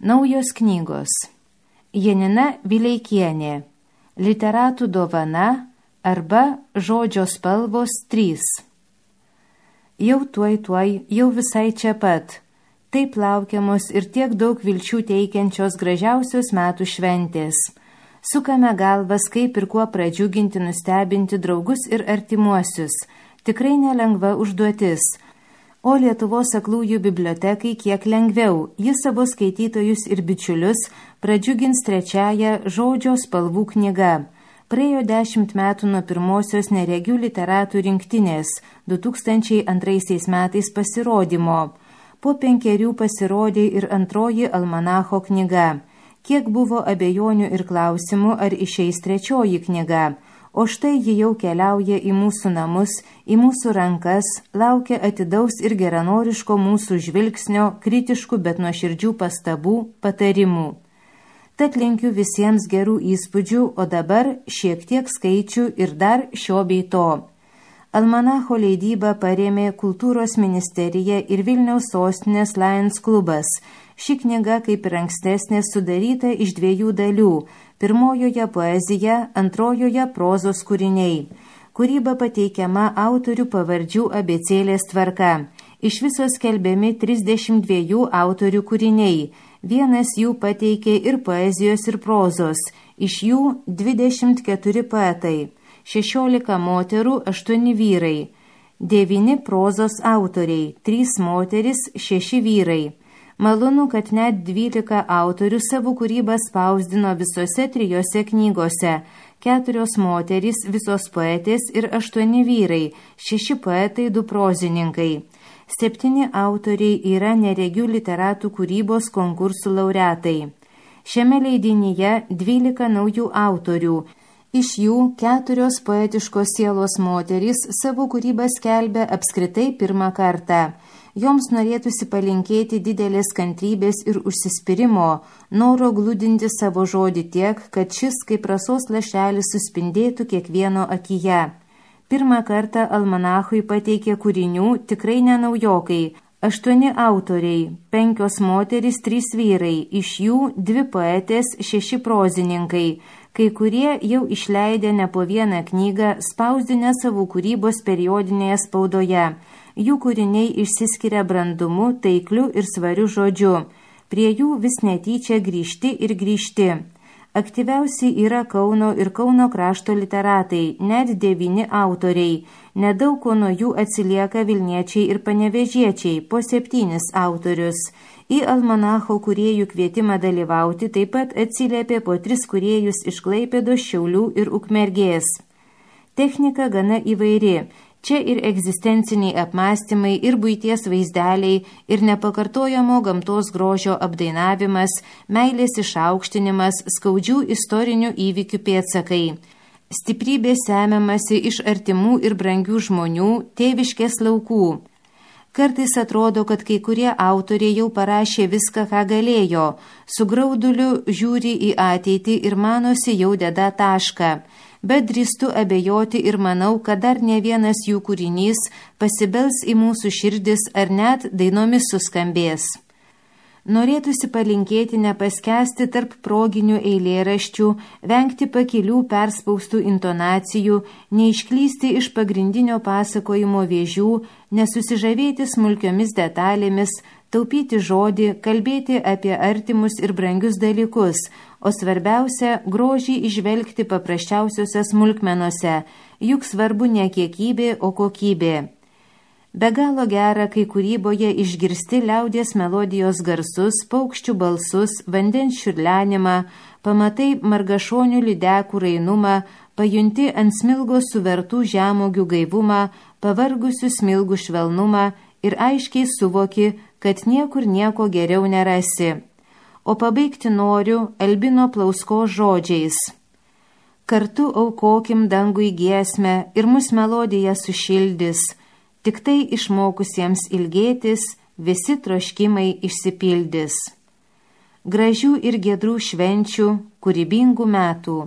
Naujos knygos. Janina Vileikienė. Literatų dovana arba Žodžio spalvos 3. Jau tuoj, jau visai čia pat. Taip laukiamos ir tiek daug vilčių teikiančios gražiausios metų šventės. Sukame galvas, kaip ir kuo pradžiuginti, nustebinti draugus ir artimuosius. Tikrai nelengva užduotis. O Lietuvos aklųjų bibliotekai kiek lengviau. Jis savo skaitytojus ir bičiulius pradžiugins 3 Žodžio spalvų knyga. Praėjo 10 metų nuo pirmosios neregių literatų rinktinės 2002 metais pasirodymo. Po 5 pasirodė ir antroji almanacho knyga. Kiek buvo abejonių ir klausimų, ar išeis 3 knyga. O štai ji jau keliauja į mūsų namus, į mūsų rankas, laukia atidaus ir geranoriško mūsų žvilgsnio, kritiškų, bet nuoširdžių pastabų, patarimų. Tad linkiu visiems gerų įspūdžių, o dabar šiek tiek skaičių ir dar šio bei to. Almanacho leidybą parėmė Kultūros ministerija ir Vilniaus sostinės Lions klubas. Ši knyga, kaip ir ankstesnė, sudaryta iš 2 dalių. Pirmojoje poezija, antrojoje prozos kūriniai. Kūryba pateikiama autorių pavardžių abėcėlės tvarka. Iš viso skelbiami 32 autorių kūriniai. Vienas jų pateikė ir poezijos, ir prozos. Iš jų 24 poetai, 16 moterų, 8 vyrai, 9 prozos autoriai, 3 moteris, 6 vyrai. Malonu, kad net 12 autorių savo kūrybą spausdino visose 3 knygose, 4 moterys, visos poetės ir 8 vyrai, 6 poetai, 2 prozininkai. 7 autoriai yra neregių literatų kūrybos konkursų laureatai. Šiame leidinyje 12 naujų autorių. Iš jų 4 poetiškos sielos moterys savo kūrybą skelbia apskritai pirmą kartą. Joms norėtųsi palinkėti didelės kantrybės ir užsispyrimo, noro glūdinti savo žodį tiek, kad šis kaip rasos lašelis suspindėtų kiekvieno akyje. Pirmą kartą almanachui pateikė kūrinių tikrai ne naujokai. 8 autoriai, 5 moterys, 3 vyrai, iš jų 2 poetės, 6 prozininkai. Kai kurie jau išleidę ne po vieną knygą, spausdinę savo kūrybos periodinėje spaudoje. Jų kūriniai išsiskiria brandumu, taikliu ir svariu žodžiu. Prie jų vis netyčia grįžti ir grįžti. Aktyviausi yra Kauno ir Kauno krašto literatai, net 9 autoriai. Nedaug ko nuo jų atsilieka Vilniečiai ir Panevėžiečiai, po 7 autorius. Į almanacho kūrėjų kvietimą dalyvauti taip pat atsiliepė po 3 kūrėjus iš Klaipėdos, Šiaulių ir Ukmergės. Technika gana įvairi. Čia ir egzistenciniai apmąstymai, ir buities vaizdeliai, ir nepakartojamo gamtos grožio apdainavimas, meilės išaukštinimas, skaudžių istorinių įvykių pėdsakai. Stiprybė semiamasi iš artimų ir brangių žmonių, tėviškės laukų. Kartais atrodo, kad kai kurie autoriai jau parašė viską, ką galėjo, su grauduliu žiūri į ateitį ir manosi jau deda tašką. Bet drįstu abejoti ir manau, kad dar ne vienas jų kūrinys pasibels į mūsų širdis ar net dainomis suskambės. Norėtųsi palinkėti nepaskesti tarp proginių eilėraščių, vengti pakilių perspaustų intonacijų, neišklysti iš pagrindinio pasakojimo vėžių, nesusižavėti smulkiomis detalėmis, taupyti žodį, kalbėti apie artimus ir brangius dalykus, o svarbiausia – grožį įžvelgti paprasčiausiose smulkmenose, juk svarbu ne kiekybė, o kokybė. Be galo gera, kai kūryboje išgirsti liaudies melodijos garsus, paukščių balsus, vandens čiurlenimą, pamatai margašonių lydekų rainumą, pajunti ant smilgos suvertų žemuogių gaivumą, pavargusių smilgų švelnumą ir aiškiai suvoki, kad niekur nieko geriau nerasi. O pabaigti noriu Albino Plausko žodžiais. Kartu aukokim dangui giesmę ir mus melodija sušildys, tik tai išmokusiems ilgėtis visi troškimai išsipildys. Gražių ir giedrų švenčių, kūrybingų metų.